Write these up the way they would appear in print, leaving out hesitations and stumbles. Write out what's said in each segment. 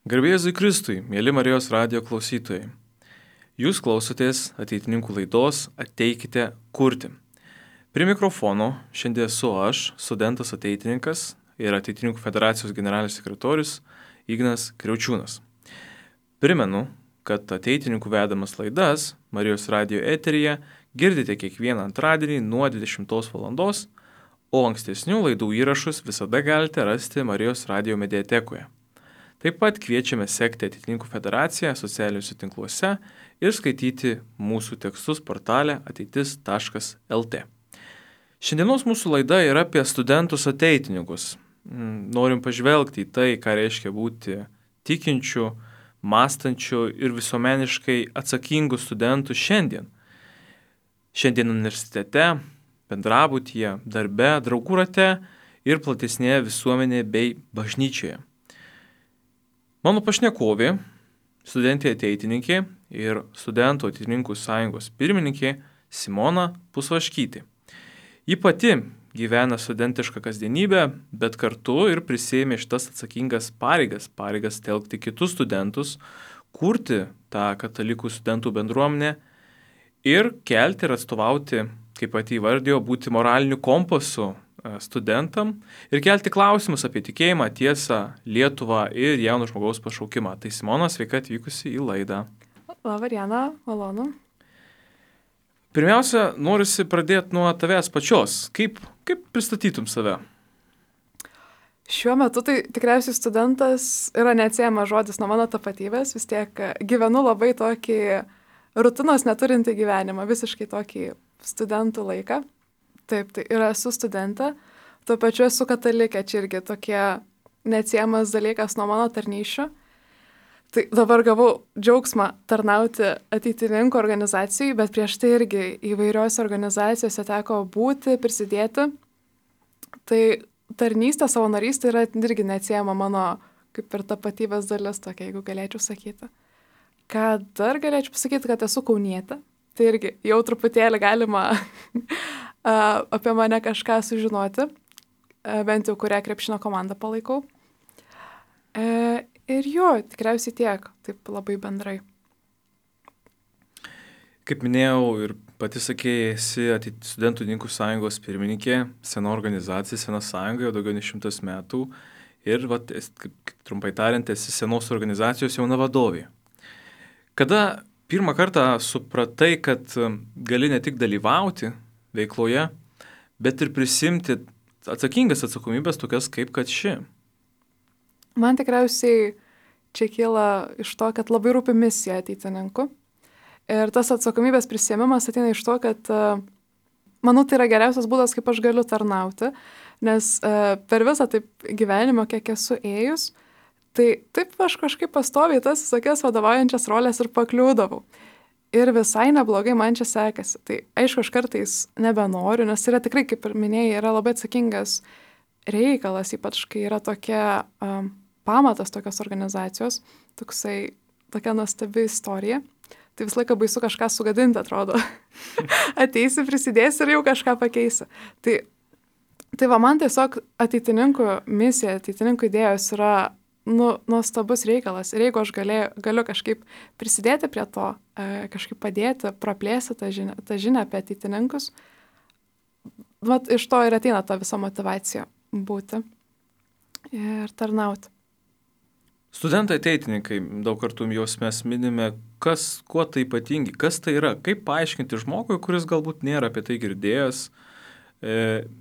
Garbė Jėzui Kristui, mėly Marijos radijo klausytojai. Jūs klausotės ateitininkų laidos Ateikite kurti. Prie mikrofono šiandien esu aš, studentas ateitininkas ir Ateitininkų federacijos generalinis sekretorius Ignas Kriaučiūnas. Primenu, kad ateitininkų vedamas laidas Marijos radijo eteryje girdite kiekvieną antradienį nuo 20 val. O ankstesnių laidų įrašus visada galite rasti Marijos radijo mediatekoje. Taip pat kviečiame sekti Ateitininkų federaciją socialiniuose tinkluose ir skaityti mūsų tekstus portale ateitis.lt. Šiandienos mūsų laida yra apie studentus ateitininkus. Norim pažvelgti į tai, ką reiškia būti tikinčių, mąstančių ir visuomeniškai atsakingų studentų šiandien. Šiandien universitete, bendrabutyje, darbe, draugų rate ir platesnėje visuomenėje bei bažnyčioje. Mano pašnekovė, studentė ateitininkė ir studentų ateitininkų sąjungos pirmininkė Simona Pusvaškytė. Ji pati gyvena studentišką kasdienybę, bet kartu ir prisėmė šitas atsakingas pareigas telkti kitus studentus, kurti tą katalikų studentų bendruomenę ir kelti ir atstovauti, kaip pati įvardijo, būti moraliniu kompasu studentam ir kelti klausimus apie tikėjimą, tiesą, Lietuvą ir jauno žmogaus pašaukimą. Tai Simona, sveika atvykusi į laidą. Labą dieną, malonu. Pirmiausia, norisi pradėti nuo tavęs pačios. Kaip pristatytum save? Šiuo metu tai tikriausiai studentas yra neatsiejamas žodis nuo mano tapatybės. Vis tiek gyvenu labai tokį rutinos neturintį gyvenimą, visiškai tokį studentų laiką. Taip, tai ir esu studentė, tuo pačiu esu katalikė, čia irgi tokie neatsiejamas dalykas nuo mano tarnysčių. Tai dabar gavau džiaugsmą tarnauti ateitininkų organizacijai, bet prieš tai irgi įvairiose organizacijose teko būti, prisidėti. Tai tarnystė, savanorystė yra irgi neatsiejama mano kaip ir tapatybės dalis tokia, jeigu galėčiau sakyti. Ką dar galėčiau pasakyti, kad esu kaunietė, tai irgi jau truputėlį galima apie mane kažką sužinoti, bent jau kurią krepšinio komandą palaikau. Ir jo, tikriausiai tiek, taip labai bendrai. Kaip minėjau ir pati sakėjai, esi studentų ateitininkų sąjungos pirmininkė, sena organizacija, sena sąjunga, jau daugiau nei 100 metų ir, kaip trumpai tariant, esi senos organizacijos jauna vadovė. Kada pirmą kartą supratai, kad gali ne tik dalyvauti veikloje, bet ir prisimti atsakingas atsakomybės tokias kaip kad ši? Man tikriausiai čia kyla iš to, kad labai rūpi misija ateitininkų. Ir tas atsakomybės prisėmimas ateina iš to, kad manau, tai yra geriausias būdas, kaip aš galiu tarnauti, nes per visą taip gyvenimą, kiek esu ėjus, tai taip aš kažkaip pastoviai tas visokias vadovaujančias rolės ir pakliūdavau. Ir visai neblogai man čia sekasi. Tai aišku, aš kartais nebenoriu, nes yra tikrai, kaip ir minėjai, yra labai atsakingas reikalas, ypač kai yra tokia pamatas tokios organizacijos, tokia nuostabi istorija. Tai visą laiką baisu kažką sugadinti, atrodo. Ateisi, prisidėsi ir jau kažką pakeisi. Tai va, man tiesiog ateitininkų misija, ateitininkų idėjos yra nuostabus reikalas. Ir jeigu aš galiu kažkaip prisidėti prie to, kažkaip padėti, praplėsti tą žinią apie ateitininkus, vat iš to ir ateina ta visa motyvacija būti ir tarnauti. Studentai ateitininkai, daug kartų juos mes minime, kuo tai ypatingi, kas tai yra, kaip paaiškinti žmogui, kuris galbūt nėra apie tai girdėjęs,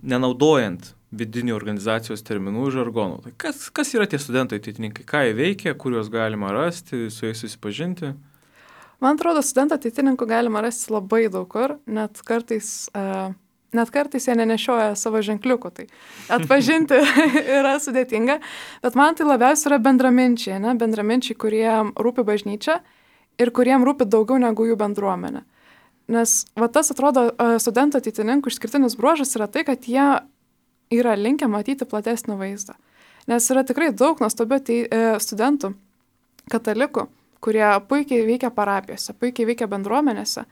nenaudojant vidinių organizacijos terminų ir žargonų. Tai kas yra tie studentai ateitininkai, ką jie veikia, kur juos galima rasti, su jais susipažinti? Man atrodo, studentų ateitininkų galima rasti labai daug kur, net kartais jie nenešioja savo ženkliukų, tai atpažinti yra sudėtinga, bet man tai labiausiai yra bendraminčiai, kuriem rūpi bažnyčia ir kuriem rūpi daugiau negu jų bendruomenė. Nes va tas atrodo studentų ateitininkų išskirtinis bruožas yra tai, kad jie yra linkę matyti platesnį vaizdą. Nes yra tikrai daug nuostabių studentų, katalikų, kurie puikiai veikia parapijose, puikiai veikia bendruomenėse,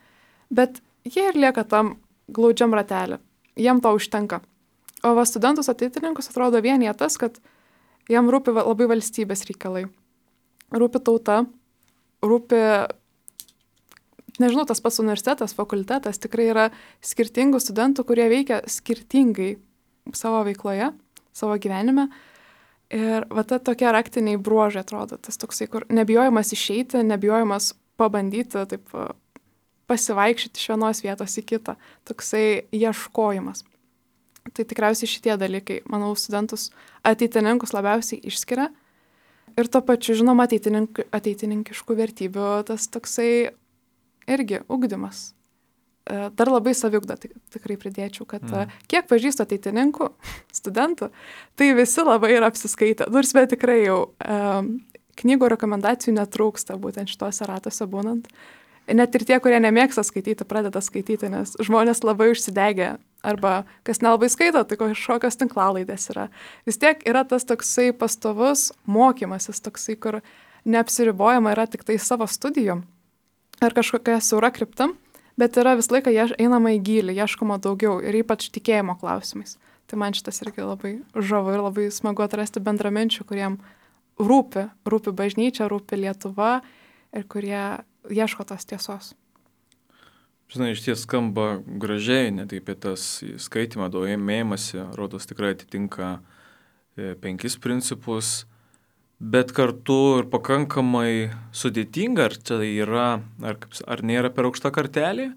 bet jie ir lieka tam glaudžiam ratelį. Jiem to užtenka. O va studentus ateitininkus atrodo vienyje tas, kad jiem rūpi labai valstybės reikalai. rūpi tauta, rūpi, nežinau, tas pats universitetas, fakultetas, tikrai yra skirtingų studentų, kurie veikia skirtingai savo veikloje, savo gyvenime. Ir va ta tokie raktiniai bruožai atrodo, tas toksai, kur nebijojimas išeiti, nebijojimas pabandyti, taip pasivaikščioti iš vienos vietos į kitą, toksai ieškojimas. Tai tikriausiai šitie dalykai, manau, studentus ateitininkus labiausiai išskiria. Ir tuo pačiu, žinoma, ateitininkiškų vertybių tas toksai irgi ugdymas. Dar labai saviugda tikrai pridėčiau, kad kiek pažįstu ateitininkų, studentų, tai visi labai yra apsiskaitę. Nors bet tikrai jau knygų rekomendacijų netrūksta būtent šituose ratuose būnant. Net ir tie, kurie nemėgsta skaityti, pradeda skaityti, nes žmonės labai užsidegę. Arba kas nelabai skaito, tai kažkokios tinklalaidės yra. Vis tiek yra tas toksai pastovus mokymasis, toksai, kur neapsiribojama yra tik tai savo studijom ar kažkokia siaura kryptim, bet yra visą laiką einama į gylį, ieškoma daugiau ir ypač tikėjimo klausimais. Tai man šitas irgi labai žavu ir labai smagu atrasti bendraminčių, kuriem rūpi bažnyčia, rūpi Lietuva ir kurie ieško tos tiesos. Žinai, iš ties skamba gražiai, net apie tas skaitimą, domėjimąsi, rodos tikrai atitinka 5 principus, bet kartu ir pakankamai sudėtinga, ar čia yra, ar nėra per aukšta kartelė?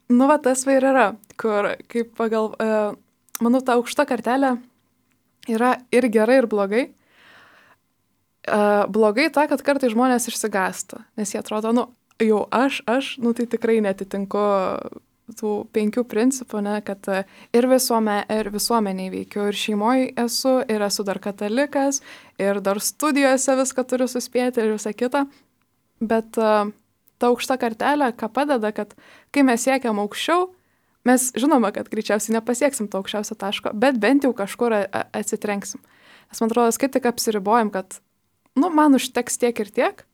Nu, va, tas va ir yra, kur, kaip manau, ta aukšta kartelė yra ir gerai, ir blogai. Blogai ta, kad kartai žmonės išsigąsta, nes jie atrodo, jau aš, tai tikrai netitinku tų 5 principų, ne, kad ir visuomeniai veikiu, ir šeimoje esu, ir esu dar katalikas, ir dar studijose viską turiu suspėti ir visą kitą. Bet ta aukšta kartelė, ką padeda, kad kai mes siekiam aukščiau, mes žinoma, kad greičiausiai nepasieksim to aukščiausio taško, bet bent jau kažkur atsitrenksim. Nes man atrodo, kai tik apsiribojam, kad man užteks tiek ir tiek,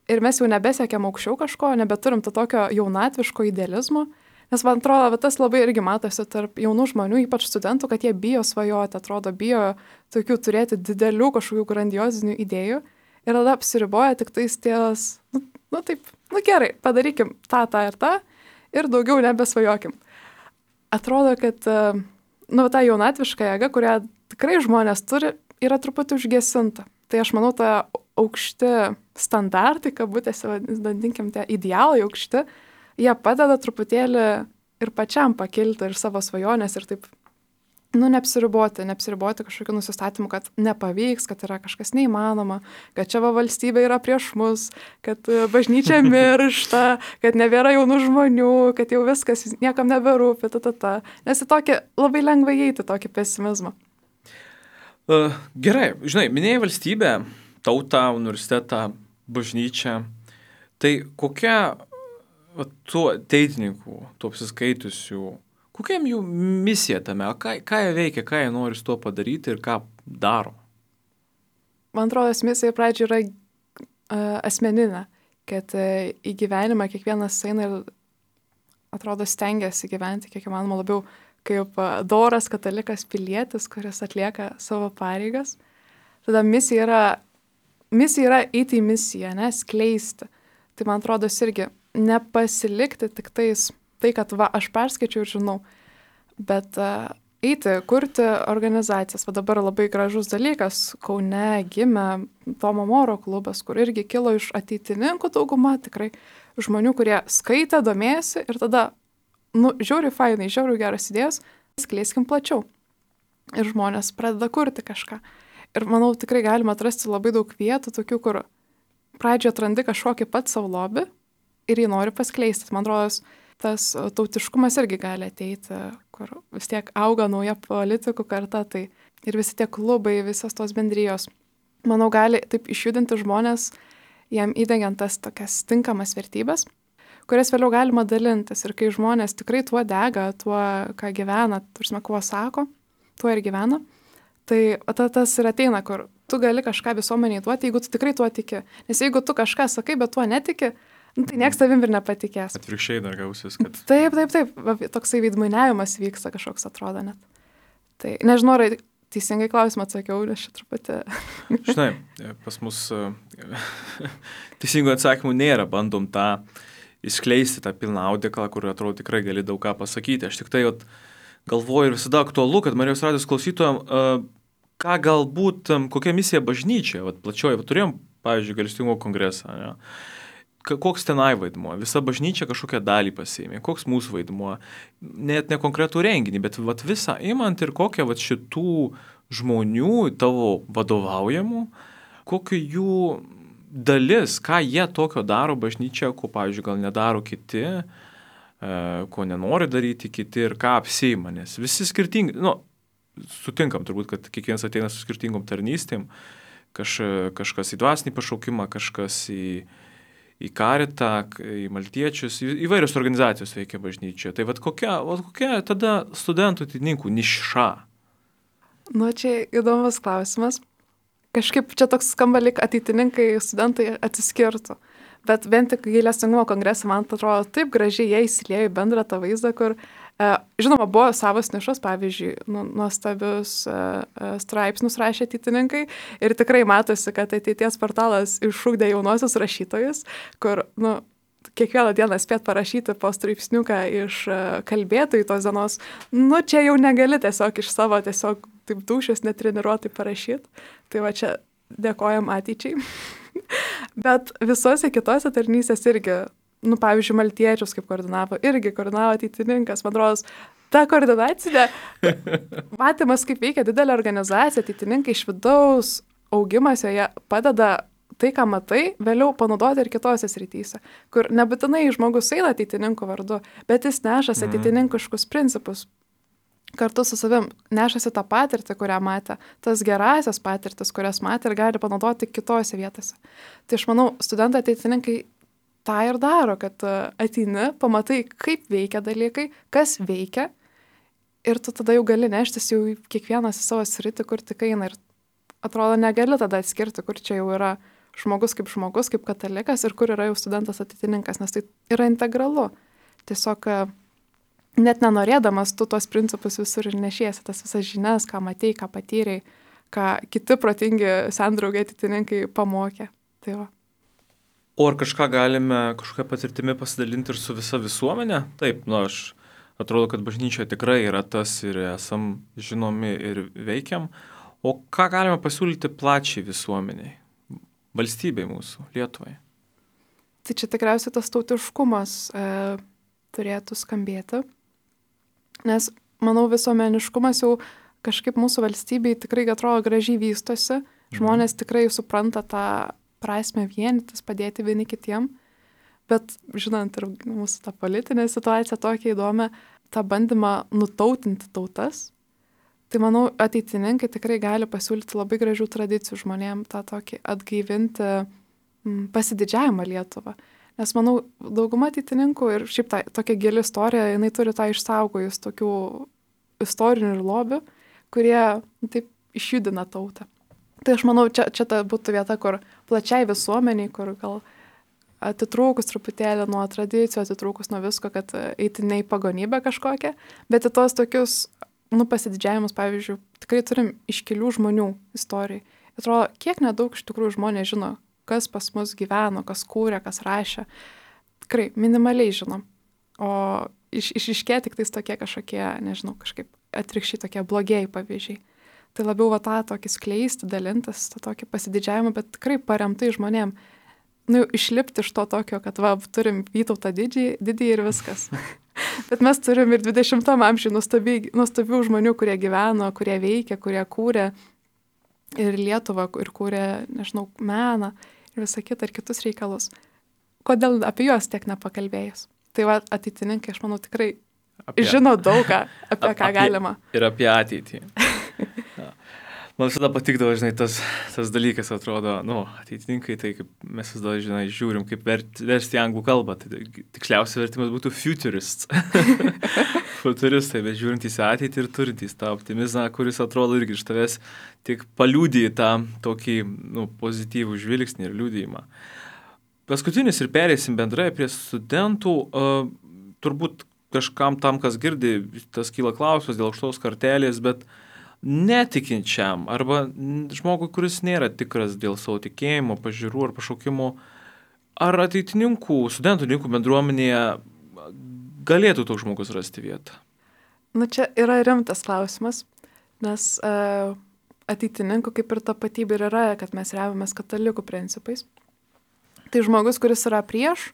ir mes jau nebesiekiam aukščiau kažko, nebeturim to tokio jaunatviško idealizmo, nes man atrodo, tas labai irgi matosi tarp jaunų žmonių, ypač studentų, kad jie bijo svajoti, atrodo, bijo tokių turėti didelių kažkokių grandiozinių idėjų ir tada apsiriboja tik tais ties, gerai, padarykim tą ir tą ir daugiau nebesvajokim. Atrodo, kad ta jaunatviška jėga, kurią tikrai žmonės turi, yra truputį užgesinta. Tai aš manau, ta aukšti standartai, kabutėse, vadinkim, tie idealai aukšti, jie padeda truputėlį ir pačiam pakilti ir savo svajonės ir taip, neapsiriboti kažkokiu nusistatymu, kad nepavyks, kad yra kažkas neįmanoma, kad čia valstybė yra prieš mus, kad bažnyčia miršta, kad nebėra jaunų žmonių, kad jau viskas niekam neberūpi, Nes į tokį labai lengva įeiti tokį pesimizmą. Gerai, žinai, minėjai valstybę, tautą, universitetą, bažnyčią. Tai kokia tų ateitininkų, tų apsiskaitusių, kokia jų misija tame, ką jie veikia, ką jie nori su tuo padaryti ir ką daro? Man atrodo, misija pradžioje yra asmeninė, kad į gyvenimą kiekvienas eina ir atrodo stengiasi gyventi kiek įmanoma labiau kaip doras katalikas pilietis, kuris atlieka savo pareigas. Tada misija yra eiti į misiją, skleisti. Tai man atrodo irgi nepasilikti tik tai, kad aš perskaičiau ir žinau, bet eiti, kurti organizacijas. Va dabar labai gražus dalykas, Kaune gimė Tomo Moro klubas, kur irgi kilo iš ateitininkų dauguma, tikrai žmonių, kurie skaitė, domėjosi ir tada, žiauriai fainai, žiauriai geras idėjas, skleiskim plačiau. Ir žmonės pradeda kurti kažką. Ir manau, tikrai galima atrasti labai daug vietų, tokių, kur pradžioje atrandi kažkokį pat savo lobį ir jį nori paskleisti. Man atrodo, tas tautiškumas irgi gali ateiti, kur vis tiek auga nauja politikų karta, tai ir visi tie klubai, visos tos bendrijos, manau, gali taip išjudinti žmonės, jam įdengiant tas tokias tinkamas vertybės, kurias vėliau galima dalintis. Ir kai žmonės tikrai tuo dega, tuo, ką gyvena, kuo sako, tuo ir gyvena, tai tas ir ateina, kur tu gali kažką visuomeniai duoti, jeigu tu tikrai tuo tiki. Nes jeigu tu kažką sakai, bet tuo netiki, tai nieks tavim ir nepatikės. Atvirkščiai dar gausis, kad... Taip. Toksai veidmainiavimas vyksta kažkoks, atrodo net. Tai nežinau, teisingai klausimą atsakiau, nes šitą truputį. Žinai, pas mus teisingų atsakymų nėra, bandom tą išskleisti, tą pilną audeklą, kur atrodo tikrai gali daug ką pasakyti. Aš tik tai galvoju ir visada aktualu, kad Marijos radijos klausytojam, ką galbūt, kokia misija bažnyčia, plačioji, turėjom, pavyzdžiui, Gailestingumo kongresą, ne? Koks tenai vaidmuo, visa bažnyčia kažkokią dalį pasiėmė, koks mūsų vaidmuo, net ne konkretų renginį, bet visą imant ir kokią šitų žmonių, tavo vadovaujamų, kokiu jų dalis, ką jie tokio daro bažnyčia, ko, pavyzdžiui, gal nedaro kiti, ko nenori daryti kiti ir ką apsiima, nes visi skirtingi, sutinkam turbūt, kad kiekvienas ateina su skirtingom tarnystėm, kažkas į dvasinį pašaukimą, kažkas į karitą, į maltiečius, įvairios organizacijos veikia bažnyčioje. Tai kokia tada studentų ateitininkų niša? Čia įdomus klausimas. Kažkaip čia toks skamba, lyg ateitininkai, studentai atsiskirtų. Bet bent tik Gailestingumo kongresą, man atrodo, taip gražiai jie įsiliejo į bendrą tą vaizdą, kur, žinoma, buvo savos nišos, pavyzdžiui, nuostabius straipsnius rašė ateitininkai ir tikrai matosi, kad ateities portalas iššūkdė jaunosius rašytojus, kur, kiekvieną dieną spėt parašyti po straipsniuką iš kalbėtojų tos dienos, čia jau negali tiesiog iš savo tiesiog taip dūšios netreniruotai parašyti. Tai čia dėkojam ateičiai. Bet visose kitose tarnystės irgi, pavyzdžiui, maltiečius kaip koordinavo ateitininkas, man atrodo, ta koordinacinė matymas, kaip veikia didelė organizacija, ateitininkai iš vidaus augimas joje padeda tai, ką matai, vėliau panaudoti ir kitose srityse, kur nebūtinai žmogus eina ateitininkų vardu, bet jis nešasi ateitininkiškus principus. Kartu su savim nešasi tą patirtį, kurią matė, tas gerasias patirtis, kurias matė ir gali panaudoti kitose vietose. Tai aš manau, studentai ateitininkai tą ir daro, kad ateini, pamatai, kaip veikia dalykai, kas veikia ir tu tada jau gali neštis jau kiekvienas į savo sritį, kur tik eina ir atrodo negali tada atskirti, kur čia jau yra žmogus, kaip katalikas ir kur yra jau studentas ateitininkas, nes tai yra integralu. Tiesiog net nenorėdamas tu tuos principus visur ir nešiesi, tas visas žinias, ką matei, ką patyrei, ką kiti protingi sendraugai ateitininkai pamokė. Tai va. O ar kažką galime kažkokią patirtimi pasidalinti ir su visa visuomenė? Taip, aš atrodo, kad bažnyčioje tikrai yra tas ir esam žinomi ir veikiam. O ką galime pasiūlyti plačiai visuomeniai, valstybei mūsų, Lietuvai? Tai čia tikriausiai tas tautiškumas turėtų skambėti. Nes, manau, visuomeniškumas jau kažkaip mūsų valstybei tikrai atrodo gražiai vystosi. Žmonės tikrai supranta tą prasme vienytis, padėti vieni kitiem. Bet, žinant ir mūsų tą politinę situaciją tokia įdomi, tą bandymą nutautinti tautas, tai, manau, ateitininkai tikrai gali pasiūlyti labai gražių tradicijų žmonėm, tą tokį atgaivinti pasididžiavimą Lietuvą. Nes, manau, dauguma ateitininkų ir šiaip tokia gili istorija, jinai turi tą išsaugojus tokių istorinių ir lobių, kurie taip išjudina tautą. Tai aš manau, čia ta būtų vieta, kur plačiai visuomeniai, kur gal atitrūkus truputėlį nuo tradicijų, atitrūkus nuo visko, kad eiti ne į pagonybę kažkokią, bet į tos tokius, pasididžiavimus, pavyzdžiui, tikrai turim iškilių žmonių istorijai. Atrodo, kiek nedaug iš tikrųjų žmonės žino, kas pas mus gyveno, kas kūrė, kas rašė. Tikrai minimaliai žinom. O išryškėja tik tais tokie kažkokie, nežinau, kažkaip atvirkščiai tokie blogieji pavyzdžiai. Tai labiau tą tokį skleisti, dalintis, tą tokį pasididžiavimą, bet tikrai paremtai žmonėm. Išlipti iš to tokio, kad turim Vytautą didįjį ir viskas. Bet mes turim ir 20-am amžiui nuostabių žmonių, kurie gyveno, kurie veikia, kurie kūrė ir Lietuvą, ir kūrė, nežinau, meną ir visą kitą ir kitus reikalus. Kodėl apie juos tiek nepakalbėjus? Tai ateitininkai, aš manau, tikrai žino daugą, apie ką galima. Ir apie ateitį. Man visada patikdavo, tas dalykas, atrodo, ateitininkai, tai kaip mes visada, žiūrim, kaip versti anglų kalbą. Tai tiksliausias vertimas būtų futurists. Futuristai, bet žiūrintys į ateitį ir turintys tą optimizmą, kuris atrodo irgi iš tavęs tik paliūdija tą tokį pozityvų žvilgsnį ir liūdėjimą. Paskutinis ir perėsim bendrai prie studentų. Turbūt kažkam tam, kas girdi, tas kyla klausimas dėl aukštos kartelės, bet netikinčiam arba žmogui, kuris nėra tikras dėl savo tikėjimo, pažiūrų ar pašaukimo, ar ateitininkų, studentininkų bendruomenėje galėtų toks žmogus rasti vietą? Čia yra rimtas klausimas, nes ateitininkų kaip ir tapatybė yra, kad mes remiamės katalikų principais. Tai žmogus, kuris yra prieš,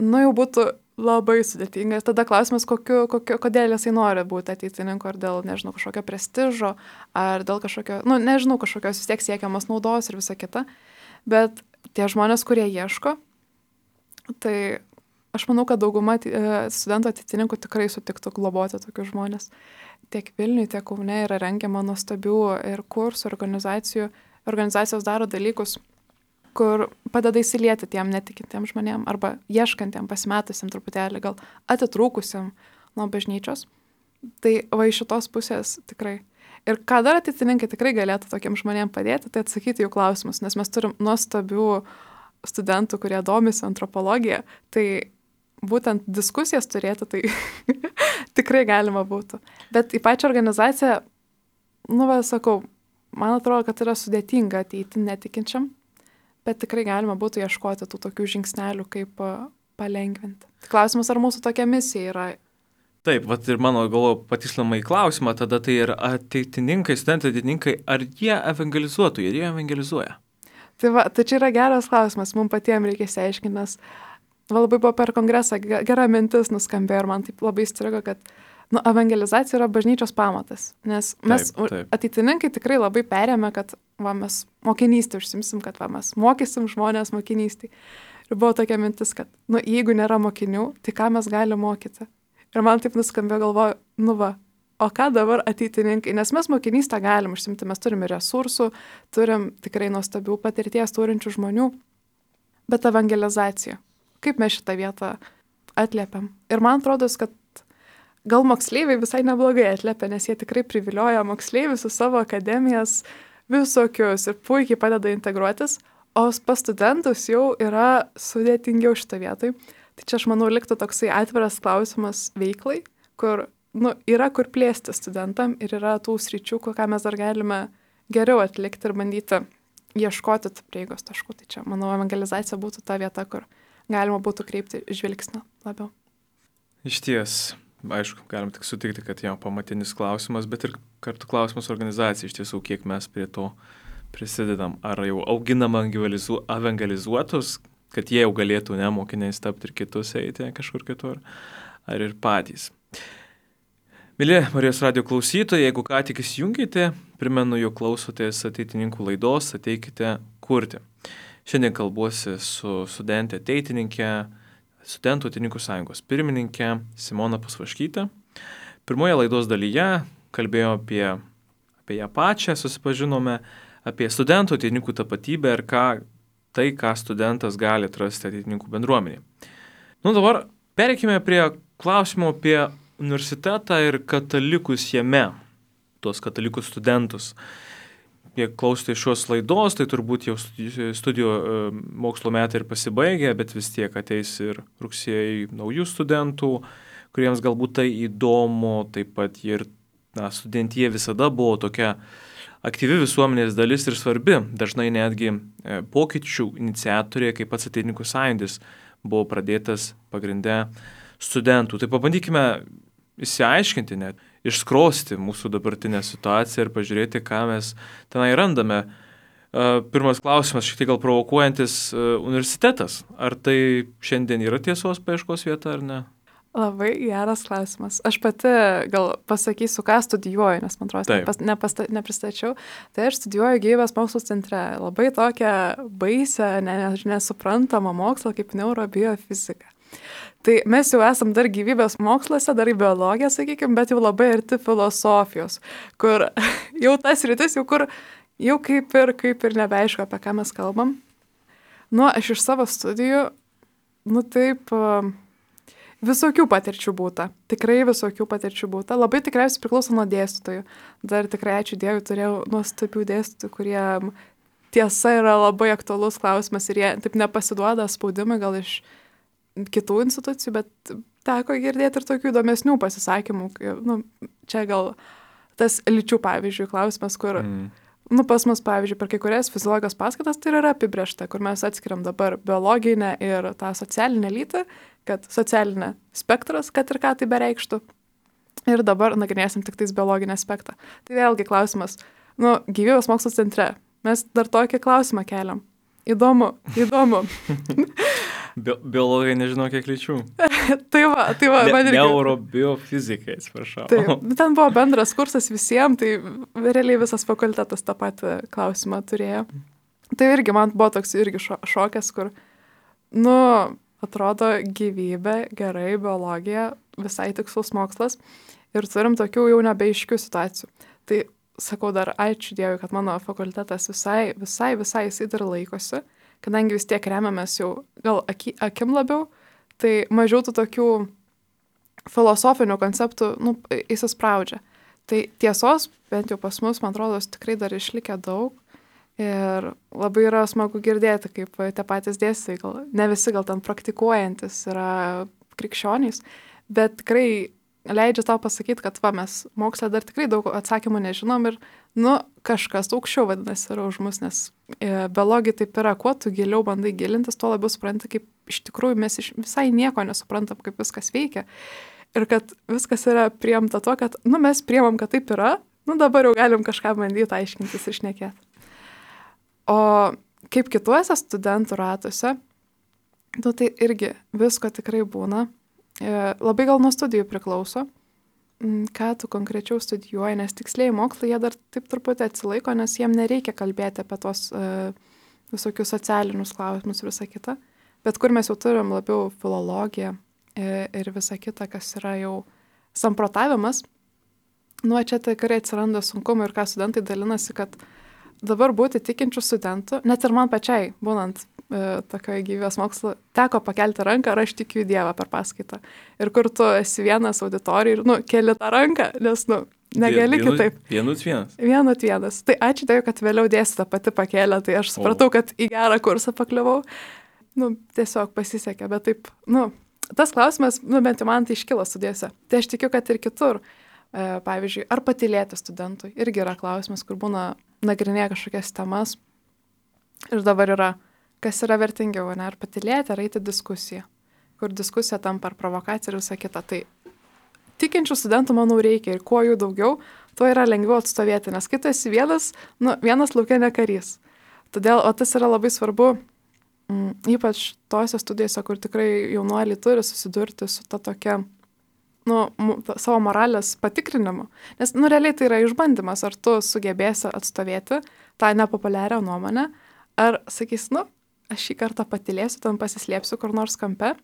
jau būtų labai sudėtingas. Tada klausimas, kodėl jisai nori būti ateitininku, ar dėl, nežinau, kažkokio prestižo, ar dėl kažkokio, nežinau, kažkokios vis tiek siekiamos naudos ir visa kita. Bet tie žmonės, kurie ieško, tai aš manau, kad dauguma studentų ateitininkų tikrai sutiktų globoti tokius žmonės. Tiek Vilniuje, tiek Kaune yra rengiama nuostabių ir kursų, organizacijų. Organizacijos daro dalykus, kur padeda įsilieti tiem netikintiem žmonėm arba ieškantiem, pasimetusiem truputėlį, gal atitrūkusiam nuo bažnyčios. Tai va iš šitos pusės tikrai. Ir ką dar ateitininkai tikrai galėtų tokiem žmonėm padėti, tai atsakyti jų klausimus, nes mes turim nuostabių studentų, kurie domisi antropologija, tai būtent diskusijas turėti, tai tikrai galima būtų. Bet į pačią organizaciją, sakau, man atrodo, kad yra sudėtinga ateiti netikinčiam, bet tikrai galima būtų ieškoti tų tokių žingsnelių, kaip palengvinti. Klausimas, ar mūsų tokia misija yra? Taip, ir mano galvo patikslinama į klausimą, tada tai ir ateitininkai, studentai ateitininkai, ar jie evangelizuotų, ar jie evangelizuoja? Tai čia yra geras klausimas, mums patiems reikia išsiaiškinti, nes labai buvo per kongresą gera mintis nuskambėjo ir man taip labai įstrigo, kad evangelizacija yra bažnyčios pamatas, nes mes taip. Ateitininkai tikrai labai perėmė, kad mes mokinystį užsimsim, kad mes mokysim žmonės mokinystį. Ir buvo tokia mintis, kad jeigu nėra mokinių, tai ką mes galime mokyti? Ir man taip nuskambėjo, galvoju, o ką dabar ateitininkai? Nes mes mokinystę galim užsimti, mes turime resursų, turim tikrai nuostabių patirties turinčių žmonių, bet evangelizacija. Kaip mes šitą vietą atliepiam? Ir man atrodo, kad gal moksleiviai visai neblogai atliepia, nes jie tikrai privilioja moksleivius su savo akademijas visokius ir puikiai padeda integruotis, o pas studentus jau yra sudėtingiau šitą vietoj. Tai čia, aš manau, liktų toksai atviras klausimas veiklai, kur yra kur plėsti studentam ir yra tų sričių, ką mes dar galime geriau atlikti ir bandyti ieškoti prieigos taškų. Tai čia, manau, evangelizacija būtų ta vieta, kur galima būtų kreipti žvilgsnį labiau. Iš ties, aišku, galim tik sutikti, kad jau pamatinis klausimas, bet ir kartu klausimas organizacijai, iš tiesų, kiek mes prie to prisidedam. Ar jau auginam evangelizuotus, kad jie jau galėtų mokiniais tapti ir kitus eiti kažkur kitur, ar ir patys. Mėly Marijos radijo klausytojai, jeigu ką tik įsijungėte, primenu, jog klausotės ateitininkų laidos Ateikite kurti. Šiandien kalbuosi su studentė ateitininkė, Studentų ateitininkų sąjungos pirmininkė Simona Pasvaškytė. Pirmoje laidos dalyje kalbėjome apie ją pačią, susipažinome apie studentų ateitininkų tapatybę ir ką studentas gali atrasti ateitininkų bendruomenėje. Dabar pereikime prie klausimo apie universitetą ir katalikus jame, tuos katalikus studentus. Jei klausote šios laidos, tai turbūt jau studijų mokslo metai ir pasibaigė, bet vis tiek ateis ir rugsėjai naujų studentų, kuriems galbūt tai įdomu, taip pat ir studentija visada buvo tokia aktyvi visuomenės dalis ir svarbi, dažnai netgi pokyčių iniciatorė, kaip pats ateitininkų sąjūdis, buvo pradėtas pagrinde studentų. Tai pabandykime išsiaiškinti net, išskrosti mūsų dabartinę situaciją ir pažiūrėti, ką mes tenai randame. Pirmas klausimas, šiek tiek gal provokuojantis, universitetas. Ar tai šiandien yra tiesos paieškos vieta ar ne? Labai geras klausimas. Aš pati gal pasakysiu, ką studijuoju, nes man atrodo, nepristačiau. Tai aš studijuoju gyvybės mokslų centre. Labai tokią baisią, nesuprantamą mokslą kaip neurobiofizika. Tai mes jau esam dar gyvybės moksluose, dar į biologiją, sakykime, bet jau labai arti filosofijos, kur jau tas rytis, jau kaip ir nebeaišku, apie ką mes kalbam. Aš iš savo studijų, taip, visokių patirčių būta. Tikrai visokių patirčių būta. Labai tikriausiai priklauso nuo dėstytojų. Dar tikrai, ačiū Dievui, turėjau nuostabių dėstytojų, kurie tiesa yra labai aktualus klausimas ir jie taip nepasiduoda spaudimui gal iš kitų institucijų, bet teko girdėti ir tokių įdomesnių pasisakymų. Čia gal tas lyčių, pavyzdžiui, klausimas, kur, pas mus, pavyzdžiui, per kai kurias fiziologijos paskaitas tai yra apibrėžta, kur mes atskiriam dabar biologinę ir tą socialinę lytį, kad socialinė spektras, kad ir ką tai bereikštų. Ir dabar nagrinėsim tik tais biologinį aspektą. Tai vėlgi klausimas, gyvybės mokslo centre. Mes dar tokį klausimą keliam. Įdomu. Biologai nežinau kiek lyčių. tai va. Neurobiofizika, atsiprašau. Taip, ten buvo bendras kursas visiems, tai realiai visas fakultetas tą patį klausimą turėjo. Tai irgi man buvo toks irgi šokas, kur, atrodo gyvybė, gerai, biologija, visai tikslus mokslas ir turim tokių jau nebeiškių situacijų. Tai sakau dar ačiū Dievui, kad mano fakultetas visai jisai dar laikosi, kadangi vis tiek remiamės jau gal akim labiau, tai mažiau tų tokių filosofinių konceptų įsispraudžia. Tai tiesos, bent jau pas mus, man atrodo, tikrai dar išlikę daug ir labai yra smagu girdėti, kaip tie patys dėstytojai, gal ne visi gal ten praktikuojantis yra krikščionys, bet tikrai leidžia tau pasakyti, kad mes moksle dar tikrai daug atsakymų nežinom ir, kažkas aukščiau vadinasi yra už mus, nes biologija taip yra, kuo tu giliau bandai gilintis, tuo labiau supranti, kaip iš tikrųjų mes visai nieko nesuprantam, kaip viskas veikia. Ir kad viskas yra priimta tuo, kad, mes priimam, kad taip yra, dabar jau galim kažką bandyti aiškintis ir šnekėti. O kaip kituose studentų ratuose, tai irgi visko tikrai būna. Labai gal nuo studijų priklauso, ką tu konkrečiau studijuoji, nes tiksliai mokslai jie dar taip truputį atsilaiko, nes jiem nereikia kalbėti apie tos visokius socialinius klausimus ir visą kitą. Bet kur mes jau turim labiau filologiją ir visą kitą, kas yra jau samprotavimas, čia tikrai atsiranda sunkumų ir ką studentai dalinasi, kad dabar būti tikinčių studentų, net ir man pačiai, būnant tokioje gyvybės mokslo, teko pakelti ranką, ar aš tikiu į Dievą per paskaitą. Ir kur tu esi vienas auditorijai ir, keli tą ranką, nes, negali kitaip. Vienas. Tai ačiū Dievui, kad vėliau dėstytoja pati pakėlė, tai aš supratau, kad į gerą kursą pakliuvau. Tiesiog pasisekė, bet taip, tas klausimas, bent jau man tai iškilo studijose. Tai aš tikiu, kad ir kitur. Pavyzdžiui, ar patylėti studentui irgi yra klausimas, kur būna nagrinėja kažkokias temas. Ir dabar yra, kas yra vertingiau, ar patylėti, ar eiti diskusiją, kur diskusija tampa ar provokacija ir visą kitą. Tai tikinčių studentų, manau, reikia ir kuo jų daugiau, tuo yra lengviau atstovėti, nes kai tu esi vienas lauke ne karys. Todėl, tas yra labai svarbu, ypač tose studijose, kur tikrai jaunuoliai turi susidurti su ta tokia savo moralės patikrinimu. Nes, realiai tai yra išbandymas, ar tu sugebėsi atstovėti tą nepopuliarią nuomonę, ar sakys, aš šį kartą patylėsiu, ten pasislėpsiu kur nors kampe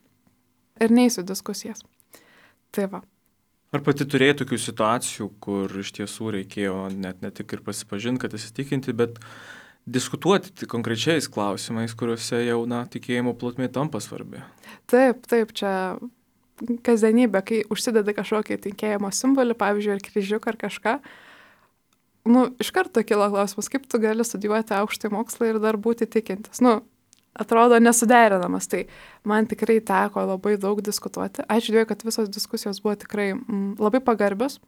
ir neįsiu diskusijas. Tai va. Ar pati turėjai tokių situacijų, kur iš tiesų reikėjo ne tik ir pasipažinti, kad įsitikinti, bet diskutuoti konkrečiais klausimais, kuriuose jau, tikėjimo plotmė tampa svarbi? Taip, čia kasdienybė, kai užsidedi kažkokį tikėjimo simbolį, pavyzdžiui, ar kryžiuką ar kažką, iš karto kilo klausimas, kaip tu gali studijuoti aukštąjį mokslą ir dar būti tikintis. Atrodo nesuderinamas, tai man tikrai teko labai daug diskutuoti. Ačiū Dievui, kad visos diskusijos buvo tikrai labai pagarbios.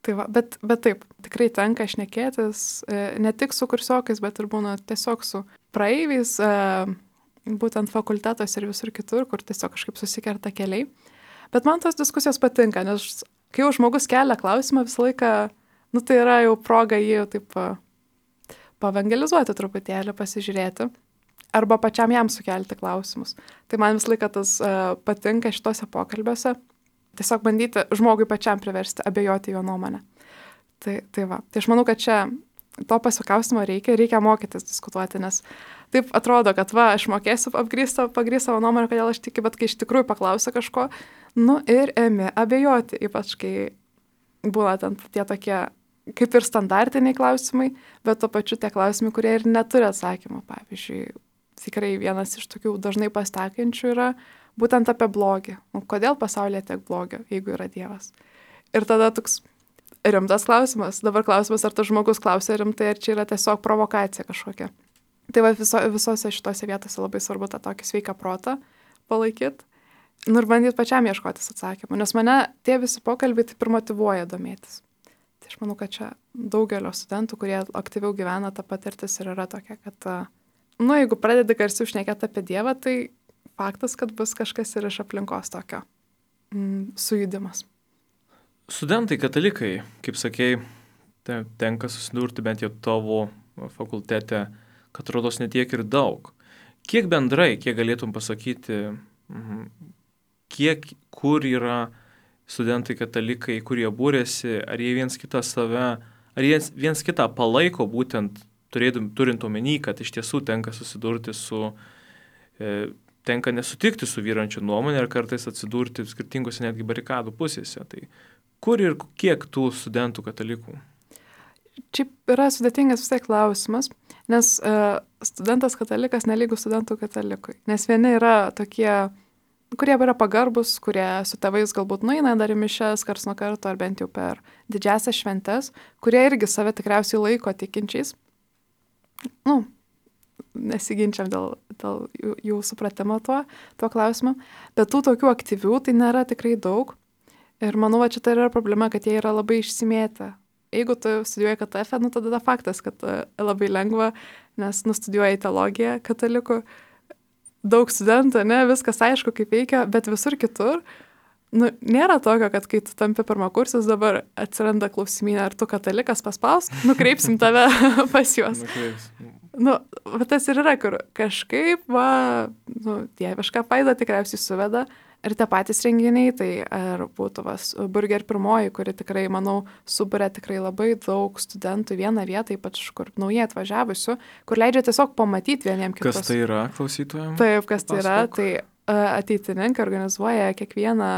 Tai va, bet taip, tikrai tenka šnekėtis ne tik su kursiokais, bet ir būna tiesiog su praeiviais, būtent fakultetos ir visur kitur, kur tiesiog kažkaip susikerta keliai. Bet man tos diskusijos patinka, nes kai jau žmogus kelia klausimą visą laiką, tai yra jau proga jį taip pavangelizuoti truputėlį, pasižiūrėti, arba pačiam jam sukelti klausimus. Tai man visą laiką tas patinka šitose pokalbiuose, tiesiog bandyti žmogui pačiam priversti abejoti jo nuomonę. Tai va. Tai aš manau, kad čia to pasikaustimo reikia mokytis diskutuoti, nes taip atrodo, kad aš mokėsiu pagrįsti savo nuomonę, kodėl aš tikiu, bet kai iš tikrųjų paklausia kažko, ir ėmė abejoti, ypač kai būna ten tie tokie kaip ir standartiniai klausimai, bet to pačiu tie klausimai, kurie ir neturi atsakymų. Pavyzdžiui, tikrai vienas iš tokių dažnai pasitaikančių yra būtent apie blogį. Kodėl pasaulyje tiek blogio, jeigu yra Dievas? Ir tada toks rimtas klausimas. Dabar klausimas, ar tas žmogus klausia rimtai, ar čia yra tiesiog provokacija kažkokia. Tai va visose šitose vietose labai svarbu tą tokį sveiką protą palaikyti. Ir bandyti pačiam ieškotis atsakymų. Nes mane tie visi pokalbiai taip ir motyvuoja domėtis. Tai aš manau, kad čia daugelio studentų, kurie aktyviau gyvena, ta patirtis ir yra tokia, kad, jeigu pradedi garsiau šnekėti apie Dievą, tai faktas, kad bus kažkas ir iš aplinkos tokio sujudimas. Studentai katalikai, kaip sakei, tenka susidurti bent jau tavo fakultete, kad rodos netiek ir daug. Kiek bendrai, kiek galėtum pasakyti, kur yra studentai katalikai, kurie būrėsi, ar jie viens kitą palaiko, būtent turint omeny, kad iš tiesų tenka susidurti tenka nesutikti su vyrančia nuomonė ir kartais atsidurti skirtingose netgi barikadų pusėse. Tai kur ir kiek tų studentų katalikų? Čia yra sudėtingas vis tiek klausimas, nes studentas katalikas nelygus studentų katalikui. Nes vieni yra tokie, kurie yra pagarbus, kurie su tėvais galbūt nueina dar į mišias karts nuo karto, ar bent jau per didžiasias šventes, kurie irgi save tikriausiai laiko tikinčiais. Nesiginčiam dėl jų supratimo tuo klausimu. Bet tų tokių aktyvių tai nėra tikrai daug. Ir manau, čia tai yra problema, kad jie yra labai išsimėtę. Jeigu tu studijuoji KTF, tada faktas, kad labai lengva, nes studijuoji teologiją katalikų, daug studentų, viskas aišku, kaip veikia, bet visur kitur, nėra tokio, kad kai tu tampi pirmakursis, dabar atsiranda klausimynė, ar tu katalikas paspausk, nukreipsim tave pas juos. Tas ir yra, kur kažkaip, dievišką faidą tikriausiai suveda. Ir tie patys renginiai, tai ar būtų Burger pirmoji, kuri tikrai, manau, suburia tikrai labai daug studentų vieną vietą, ypač kur naujai atvažiavusių, kur leidžia tiesiog pamatyti vieniem kitus. Kas tai yra klausytojams? Taip, kas tai yra, tai ateitininkai organizuoja kiekvieną,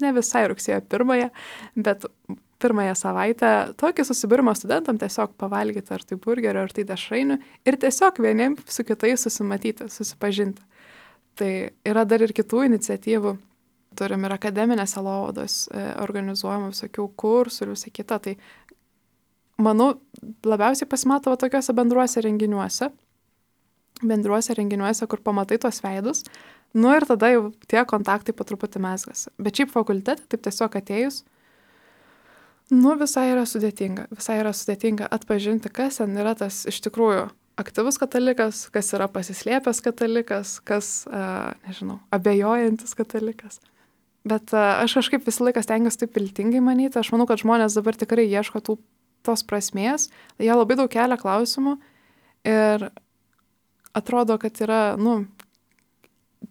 ne visai rugsėjo 1, bet 1 savaitę tokį susibūrimą studentam tiesiog pavalgyti ar tai burgerio, ar tai dešrainių ir tiesiog vieniem su kitais susimatyti, susipažinti. Tai yra dar ir kitų iniciatyvų. Turim ir akademinės sielovados organizuojama visokių kursų ir visą kitą. Tai, manau, labiausiai pasimato tokiuose bendruose renginiuose, kur pamatai tuos veidus. Ir tada jau tie kontaktai po truputį mezgasi. Bet šiaip fakultete, taip tiesiog atėjus, visai yra sudėtinga atpažinti, kas ten yra tas iš tikrųjų aktyvus katalikas, kas yra pasislėpęs katalikas, kas, abejojantis katalikas. Bet aš kažkaip visą laiką stengiuosi taip viltingai manyti. Aš manau, kad žmonės dabar tikrai ieško tos prasmės. Jie labai daug kelia klausimų ir atrodo, kad yra,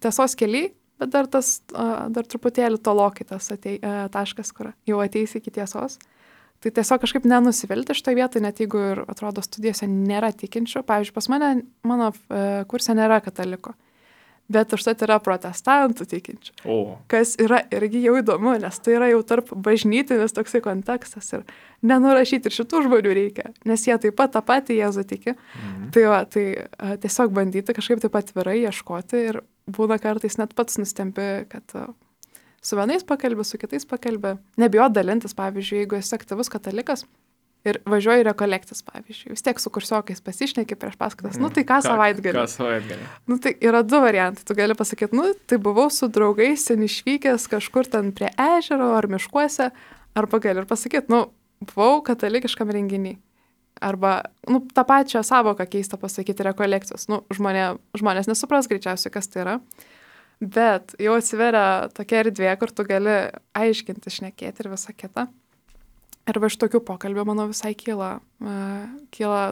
tiesos keliai, bet dar truputėlį tolokai tas taškas, kur jau ateis iki tiesos. Tai tiesiog kažkaip nenusivilti šitoje vietoje, net jeigu ir atrodo studijose nėra tikinčių. Pavyzdžiui, pas mano kurse nėra kataliko, bet užtat yra protestantų tikinčių. Kas yra irgi jau įdomu, nes tai yra jau tarp bažnytinis toksai kontekstas ir nenurašyti ir šitų žmonių reikia, nes jie taip pat tą patį Jėzų tiki. Tai tiesiog bandyti kažkaip taip atvirai ieškoti ir būna kartais net pats nustembi, kad su vienais pakalbė, su kitais pakalbė. Nebijot dalintis, pavyzdžiui, jeigu esi aktyvus katalikas ir važiuoji rekolektis, pavyzdžiui. Vis tiek su kursiokais pasišneki prieš paskaitas. Tai ką savaitgalį? Tai yra 2 variantai. Tu gali pasakyti, tai buvau su draugais ten išvykęs kažkur ten prie ežero ar miškuose. Arba gali ir pasakyti, buvau katalikiškam renginy. Arba, tą pačią savoką keistą pasakyti rekolekcijos. Žmonės nesupras greičiausiai, kas tai yra. Bet jau atsiveria tokia erdvė, kur tu gali aiškinti, šnekėti ir visą kitą. Ir iš tokių pokalbių, manau, visai kyla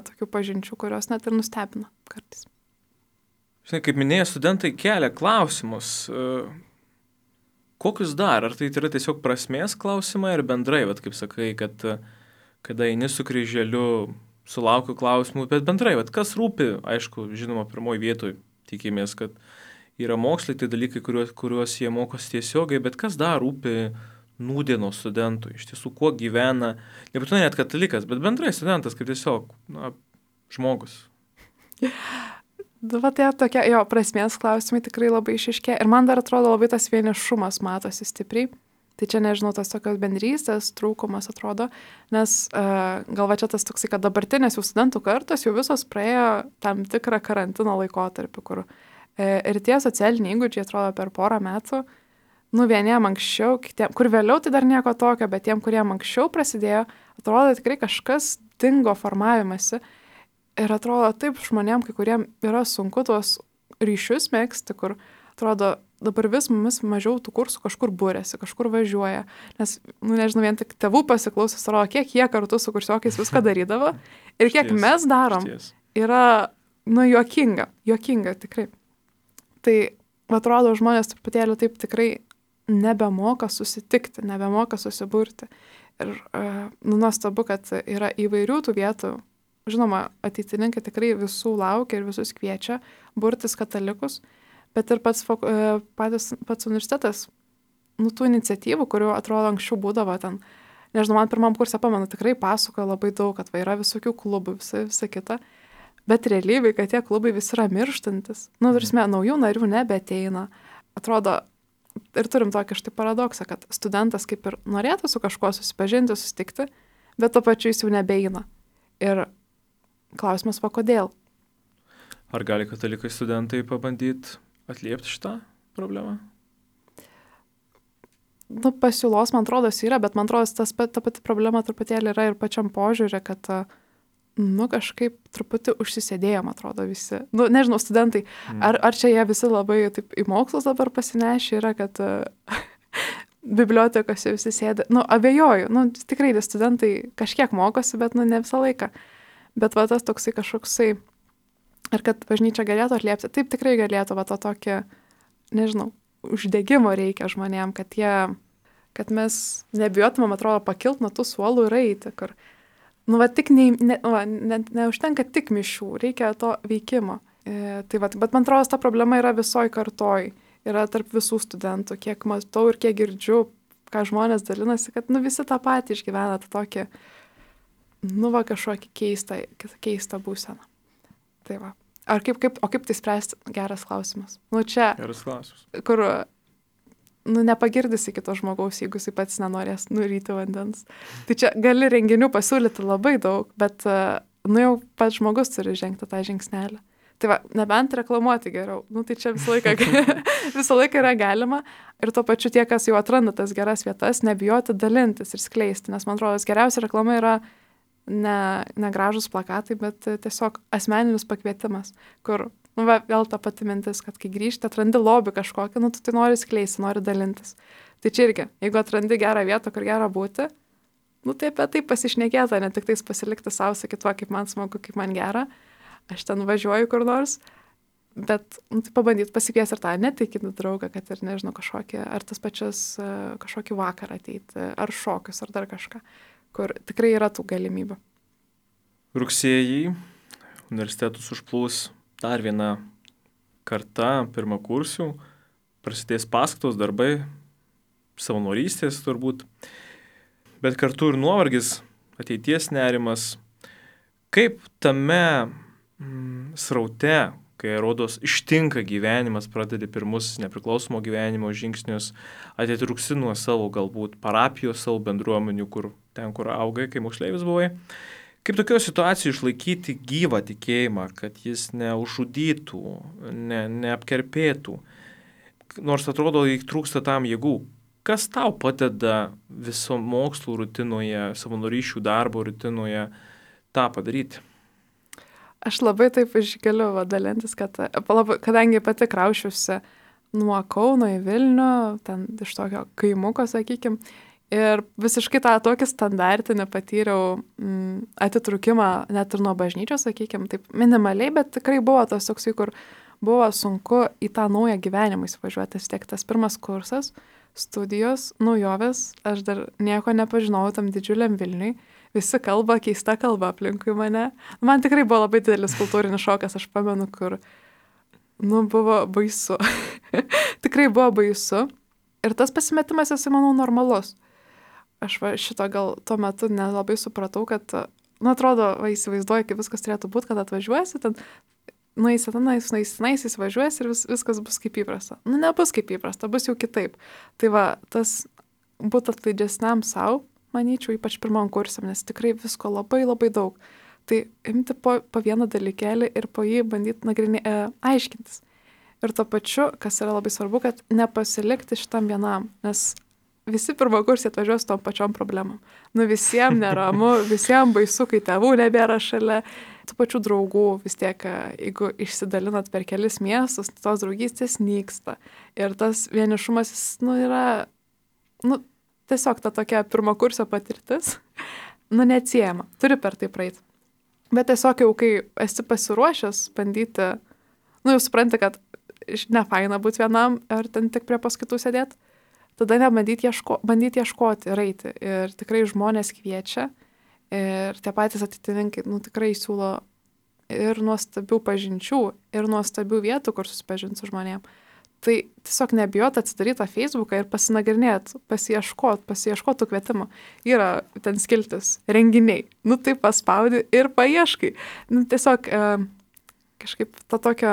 tokių pažinčių, kurios net ir nustebina kartais. Žinai, kaip minėjai, studentai kelia klausimus. Kokius dar? Ar tai yra tiesiog prasmės klausimai ir bendrai, kaip sakai, kad kada eini su kryželiu, sulaukiu klausimų, bet bendrai, kas rūpi, aišku, žinoma, pirmoji vietoj tikimės, kad yra mokslai, tai dalykai, kuriuos jie mokosi tiesiogiai, bet kas dar rūpi nūdienos studentui, iš tiesų, kuo gyvena, nebūtinai net katalikas, bet bendrai studentas, kaip tiesiog, žmogus. Tai tokie, prasmės klausimai tikrai labai išaiškėja. Ir man dar atrodo labai tas vienišumas matosi stipriai. Tai čia, nežinau, tas tokios bendrystės trūkumas atrodo, nes gal čia tas toksai, kad dabartinės jau studentų kartos jau visos praėjo tam tikrą karantino laikotarpį, kur ir tie socialiniai įgūdžiai atrodo per porą metų, vieniem anksčiau, kitiem, kur vėliau tai dar nieko tokio, bet tiem, kuriem anksčiau prasidėjo, atrodo tikrai kažkas dingo formavimasi ir atrodo taip žmonėm, kai kuriem yra sunku tuos ryšius mėgsti, kur atrodo dabar vis mumis mažiau tų kursų kažkur būrėsi, kažkur važiuoja, nes, nežinau, vien tik tėvų pasiklausus, atrodo, kiek jie kartu su kursiokais viską darydavo ir kiek mes darom, yra, juokinga tikrai. Tai atrodo, žmonės truputėlį taip tikrai nebemoka susitikti, nebemoka susiburti. Ir nuostabu, kad yra įvairių tų vietų. Žinoma, ateitininkai tikrai visų laukia ir visus kviečia burtis katalikus, bet ir pats universitetas, tų iniciatyvų, kurių atrodo anksčiau būdavo ten, nežinau, man pirmam kursą pamenu, tikrai pasakoja labai daug, kad yra visokių klubų, visa kita, bet realybėj, kad tie klubai visi yra mirštantis. Naujų narių nebeateina. Atrodo, ir turim tokį štai paradoksą, kad studentas kaip ir norėtų su kažkuo susipažinti, susitikti, bet to pačiu jis jau nebeina. Ir klausimas, kodėl? Ar gali katalikai studentai pabandyti atliepti šitą problemą? Pasiūlos, man atrodo, yra, bet man atrodo, ta pati problema truputėlį yra ir pačiam požiūrė, kad kažkaip truputį užsisėdėjo, man atrodo, visi. Nežinau, studentai, ar čia jie visi labai taip į mokslus dabar pasinešė yra, kad bibliotekose visi sėdi. Abejoju, tikrai studentai kažkiek mokosi, bet ne visą laiką. Bet tas toksai kažkoksai, ir kad bažnyčia galėtų atliepti, taip tikrai galėtų, to tokį, nežinau, uždegimo reikia žmonėm, kad mes nebijotumėm, atrodo, pakilt nuo tų suolų ir eiti, kur tik neužtenka tik mišių, reikia to veikimo. Bet man atrodo, ta problema yra visoj kartoj, yra tarp visų studentų, kiek matau ir kiek girdžiu, ką žmonės dalinasi, kad visi tą patį išgyvena, tą tokį, kažkokį keistą būseną. Tai va. O kaip tai spręsti? Geras klausimas. Čia, geras klausimas. Kur nepagirdysi kito žmogaus, jeigu jis pats nenorės nuryti vandens. Tai čia gali renginių pasiūlyti labai daug, bet jau pats žmogus turi žengti tą žingsnelį. Tai va, nebent reklamuoti geriau. Tai čia visą laiką yra galima. Ir tuo pačiu tie, kas jau atranda tas geras vietas, nebijoti dalintis ir skleisti. Nes man atrodo, geriausia reklama yra ne gražus plakatai, bet tiesiog asmeninis pakvietimas, kur vėl ta pati mintis, kad kai grįžti, atrandi lobį kažkokį, tu tai nori skleisti, nori dalintis. Tai čia irgi, jeigu atrandi gerą vietą, kur gera būti, tai apie tai pasišnekėta, ne tik tais pasilikti savo, sakyti, kaip man smagu, kaip man gera, aš ten važiuoju kur nors, bet tai pabandyti pasikviesti ir tą netikinį draugą, kad ir, nežinau, kažkokį, ar tas pačias kažkokį vakarą ateiti, ar šokius, ar dar kažką, kur tikrai yra tų galimybių. Rugsėjį universitetus užplūs dar viena karta pirmakursių, prasidės paskaitos, darbai, savanorystės turbūt, bet kartu ir nuovargis, ateities nerimas. Kaip tame sraute, kai rodos ištinka gyvenimas, pradedi pirmus nepriklausomo gyvenimo žingsnius, atitrūksi nuo savo galbūt parapijos, savo bendruomenių, kur augai, kai moksleivis buvai. Kaip tokio situacijų išlaikyti gyvą tikėjimą, kad jis neužžudytų, neapkerpėtų, nors atrodo, trūksta tam jėgų. Kas tau padeda viso mokslų rutinoje, savanorysčių darbo rutinoje tą padaryti? Aš labai taip išgaliu dalintis, kadangi pati kraušiusi nuo Kauno į Vilnių, ten iš tokio kaimuko, sakykime, ir visiškai tą tokį standartinį patyriau atitrūkimą net ir nuo bažnyčios, sakykime, taip minimaliai, bet tikrai buvo tas toksai, kur buvo sunku į tą naują gyvenimą įsivažiuoti. Tiek tas pirmas kursas, studijos, naujovės, aš dar nieko nepažinojau tam didžiuliam Vilniui, visi kalba, keista kalba aplinkui mane. Man tikrai buvo labai didelis kultūrinis šokas, aš pamenu, kur, buvo baisu. Tikrai buvo baisu. Ir tas pasimetimas, jisai, manau, normalus. Aš šito gal tuo metu nelabai supratau, kad, atrodo, įsivaizduoju, kaip viskas turėtų būti, kad atvažiuosi, ten nueisi tenais, įsivažiuosi ir viskas bus kaip įprasta. Nebus kaip įprasta, bus jau kitaip. Tai tas būtų atlaidžesniam savo, manyčiau, ypač pirmam kursiam, nes tikrai visko labai labai daug. Tai imti po vieną dalykėlį ir po jį bandyti aiškintis. Ir tuo pačiu, kas yra labai svarbu, kad nepasilikti šitam vienam, nes visi pirmakursiai atvažiuos tom pačiom problemom. Nu visiems neramu, visiems baisu, kai tėvų nebėra šalia, tų pačių draugų vis tiek, jeigu išsidalinat per kelis miestus, tos draugystės nyksta. Ir tas vienišumas, jis, yra, tiesiog ta tokia pirmakursio patirtis, neatsiejama, turi per tai praeiti. Bet tiesiog jau, kai esi pasiruošęs bandyti, jau supranti, kad nefaina būti vienam ar ten tik prie paskaitų sėdėti, tada bandyti ieškoti ir eiti. Ir tikrai žmonės kviečia ir tie patys ateitininkai, tikrai siūlo ir nuostabių pažinčių, ir nuostabių vietų, kur susipažinti su žmonėm. Tai tiesiog nebijot atsidaryti tą Facebooką ir pasinagrinėti, pasiieškoti tų kvietimų. Yra ten skiltis, renginiai, tai paspaudi ir paieškai. Tiesiog kažkaip to tokio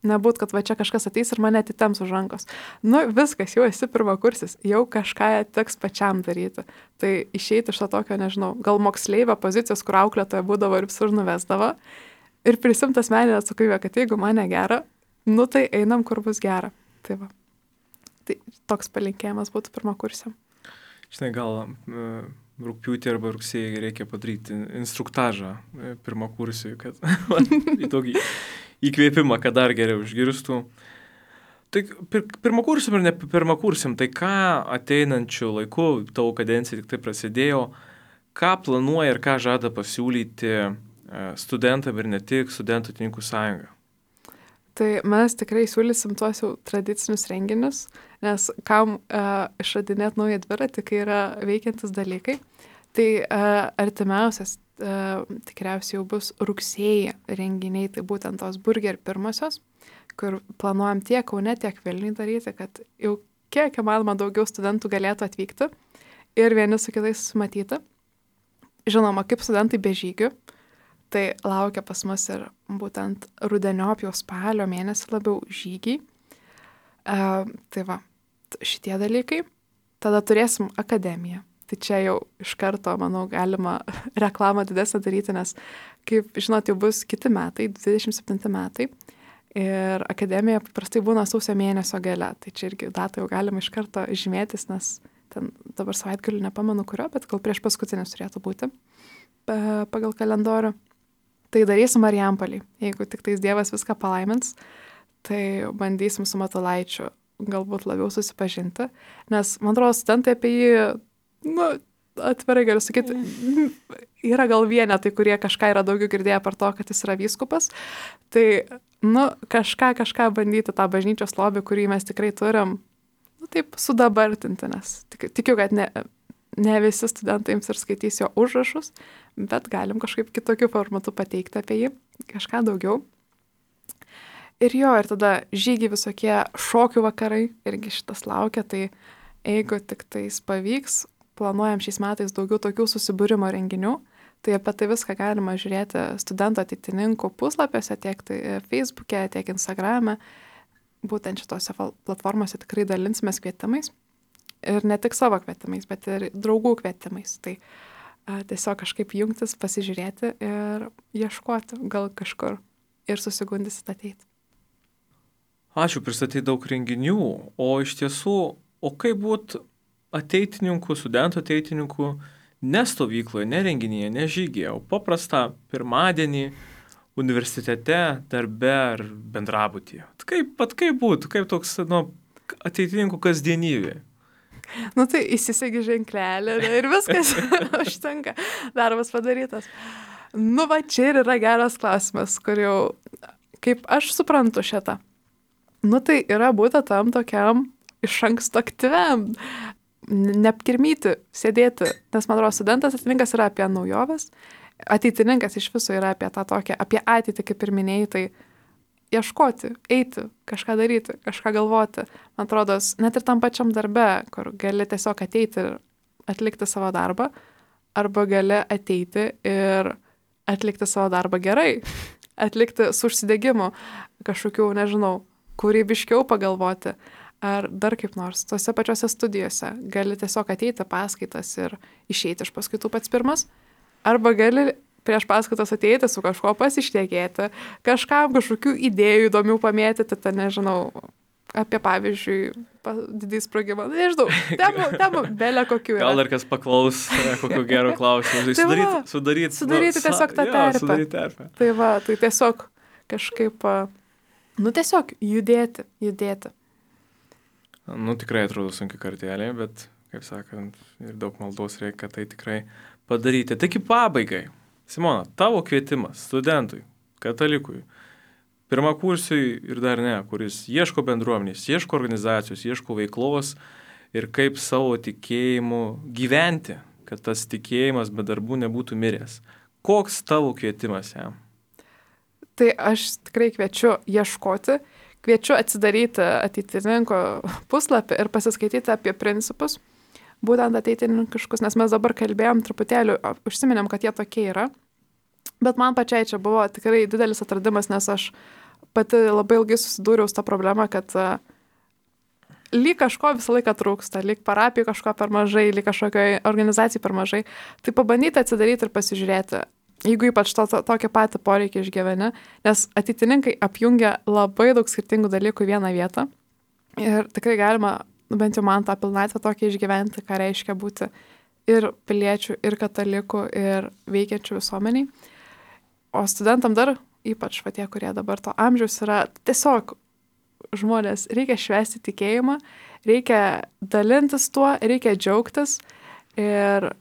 nebūt, kad va čia kažkas ateis ir mane atitemps už rankos. Viskas, jau esi pirmakursis, jau kažką teks pačiam daryti. Tai išeiti iš to tokio, nežinau, gal moksleivio pozicijos, kur auklėtoja būdavo ir visur nuvesdavo, ir prisimti asmeninę atsakomybę, kad jeigu mane gera, tai einam, kur bus gera. Tai va. Tai toks palinkėjimas būtų pirmakursiam. Žinai, gal rugpjūtį arba rugsėjį reikia padaryti instruktažą pirmakursiui, kad į tokį įkvėpimą, kad dar geriau išgirstų. Tai pirmakursiam ir ne pirmakursiam, tai ką ateinančių laikų, tavo kadencija tik tai prasidėjo, ką planuoja ir ką žada pasiūlyti studentam ir ne tik Studentų ateitininkų sąjunga? Tai mes tikrai siūlysim tuos jau tradicinius renginius, nes kam išradinėti naują dviratį, kai yra veikiantis dalykai. Tai artimiausias tikriausiai jau bus rugsėjį renginiai, tai būtent tos burger pirmosios, kur planuojam tiek Kaune, tiek Vilniuje daryti, kad jau kiek įmanoma daugiau studentų galėtų atvykti ir vieni su kitais susimatyti. Žinoma, kaip studentai be žygių, tai laukia pas mus ir būtent rudeniop jau spalio mėnesį labiau žygiai. Tai va, šitie dalykai. Tada turėsim akademiją. Tai čia jau iš karto, manau, galima reklamą didesnę daryti, nes, kaip žinot, jau bus kiti metai, 27 metai. Ir akademija paprastai būna sausio mėnesio gale. Tai čia irgi datą jau galima iš karto žymėtis, nes ten dabar savaitgalį nepamenu kurio, bet gal prieš paskutinis turėtų būti pagal kalendorių. Tai darysim Marijampolėj. Jeigu tik tais Dievas viską palaimins, tai bandysim su Matulaičiu galbūt labiau susipažinti. Nes, man atrodo, studentai apie jį, atvirai galiu sakyti, yra gal vienetai, kurie kažką yra daugiau girdėję per to, kad jis yra vyskupas. Tai, kažką bandyti tą bažnyčios lobį, kurį mes tikrai turim, taip sudabartinti, nes tikiu, kad ne visi studentai jums ir skaitys jo užrašus, bet galim kažkaip kitokiu formatu pateikti apie jį, kažką daugiau. Ir tada žygiai visokie šokių vakarai, irgi šitas laukia, tai jeigu tik tais pavyks, planuojam šiais metais daugiau tokių susibūrimo renginių, tai apie tai viską galima žiūrėti Studentų ateitininkų puslapiuose, tiek tai Facebook'e, tiek Instagram'e. Būtent šitose platformose tikrai dalinsimės kvietimais. Ir ne tik savo kvietimais, bet ir draugų kvietimais. Tai tiesiog kažkaip jungtis, pasižiūrėti ir ieškoti gal kažkur ir susigundysit ateiti. Ačiū, pristatyti daug renginių, o iš tiesų, kaip būt ateitininkų, studentų ateitininkų ne stovykloje, ne renginyje, ne žygyje, o paprastą pirmadienį universitete, darbe ar bendrabutyje. Kaip būtų, kaip toks ateitininkų kasdienybė? Tai įsisegi ženklelį ir viskas užtenka, darbas padarytas. Čia ir yra geras klausimas, kur jau, kaip aš suprantu šitą, tai yra būti tam tokiam iš anksto aktyviam, neapkirmyti, sėdėti, nes man atrodo, studentas ateitininkas yra apie naujoves, ateitininkas iš viso yra apie tą tokią, apie ateitį, kaip ir minėjai, tai ieškoti, eiti, kažką daryti, kažką galvoti. Man atrodo, net ir tam pačiam darbe, kur gali tiesiog ateiti ir atlikti savo darbą, arba gali ateiti ir atlikti savo darbą gerai, atlikti su užsidegimu, kažkokių, nežinau, kūrybiškiau pagalvoti, ar dar kaip nors. Tose pačiose studijose gali tiesiog ateiti paskaitas ir išeiti iš paskaitų pats pirmas, arba gali prieš paskaitas ateiti su kažko pasišnekėti, kažkam kažkokių idėjų įdomių pamėtyti, nežinau, apie, pavyzdžiui, didį sprogimą. Nežinau, temų belė kokių yra. Gal dar kas paklaus kokio gero klausimo. Sudaryti tiesiog tą terpę. Sudaryti terpę. Tai va, tai tiesiog kažkaip, tiesiog judėti. Tikrai atrodo sunki kartelė, bet, kaip sakant, ir daug maldos reikia tai tikrai padaryti. Taigi pabaigai, Simona, tavo kvietimas studentui, katalikui, pirmakursiui ir dar ne, kuris ieško bendruomenės, ieško organizacijos, ieško veiklos ir kaip savo tikėjimu gyventi, kad tas tikėjimas be darbų nebūtų miręs. Koks tavo kvietimas jam? Tai aš tikrai kviečiu ieškoti, kviečiu atsidaryti ateitininko puslapį ir pasiskaityti apie principus, būtent ateitininkiškus, nes mes dabar kalbėjom truputėlį, užsiminėm, kad jie tokie yra, bet man pačiai čia buvo tikrai didelis atradimas, nes aš pati labai ilgai susidūriau su tą problemą, kad lyg kažko visą laiką trūksta, lyg parapijų kažko per mažai, lyg kažkokioj organizacijai per mažai. Tai pabandyti atsidaryti ir pasižiūrėti, jeigu ypač tokį patį poreikį išgyveni, nes ateitininkai apjungia labai daug skirtingų dalykų į vieną vietą. Ir tikrai galima, bent jau man tą pilnatvę tokį išgyventi, ką reiškia būti ir piliečių, ir katalikų, ir veikiančių visuomeniai. O studentam dar, ypač tie, kurie dabar to amžiaus yra, tiesiog žmonės, reikia švęsti tikėjimą, reikia dalintis tuo, reikia džiaugtis ir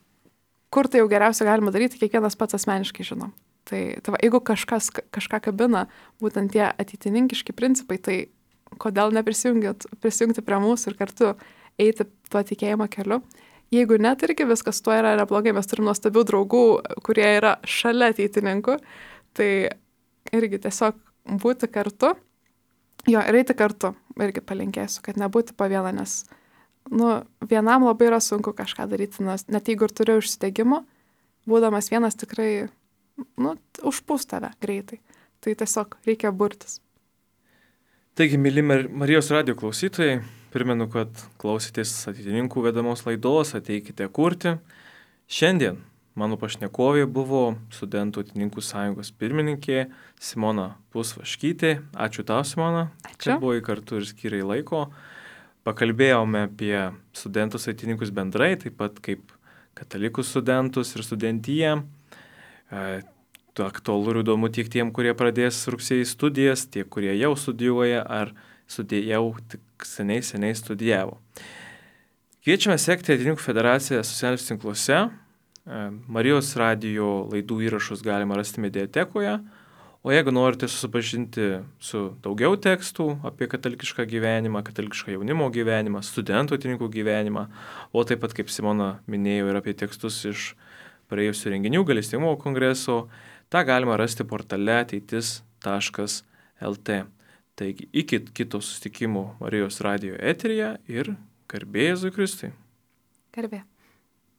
kur tai jau geriausia galima daryti, kiekvienas pats asmeniškai žino. Tai va, jeigu kažką kabina, būtent tie ateitininkiški principai, tai kodėl neprisijungti prie mūsų ir kartu eiti tuo tikėjimo keliu. Jeigu net irgi viskas tuo yra neblogai, mes turim nuostabių draugų, kurie yra šalia ateitininkų, tai irgi tiesiog būti kartu, ir eiti kartu, irgi palinkėsiu, kad nebūti po vieną, nes vienam labai yra sunku kažką daryti, nes net jeigu ir turiu užsidegimo, būdamas vienas tikrai, užpūs tave greitai. Tai tiesiog reikia burtis. Taigi, myli Marijos radijo klausytojai, primenu, kad klausytės ateitininkų vedamos laidos, ateikite kurti. Šiandien mano pašnekovė buvo Studentų ateitininkų sąjungos pirmininkė Simona Pusvaškytė. Ačiū tau, Simona, kad buvai kartu ir skyrai laiko. Pakalbėjome apie studentus ateitininkus bendrai, taip pat kaip katalikus studentus ir studentiją. Aktualu ir įdomu tiek tiem, kurie pradės rugsėjį studijas, tiek, kurie jau studijuoja ar jau tik seniai studijavo. Kviečiame sekti Ateitininkų federaciją socialiniuose tinkluose. Marijos radijo laidų įrašus galima rasti mediatekoje, o jeigu norite susipažinti su daugiau tekstų apie katalikišką gyvenimą, katalikišką jaunimo gyvenimą, studentų ateitininkų gyvenimą, o taip pat, kaip Simona minėjo, ir apie tekstus iš praėjusių renginių gailestingumo kongreso, tą galima rasti portale ateitis.lt. Taigi, iki kito susitikimo Marijos radijo eteryje ir garbė Jėzui Kristui. Garbė.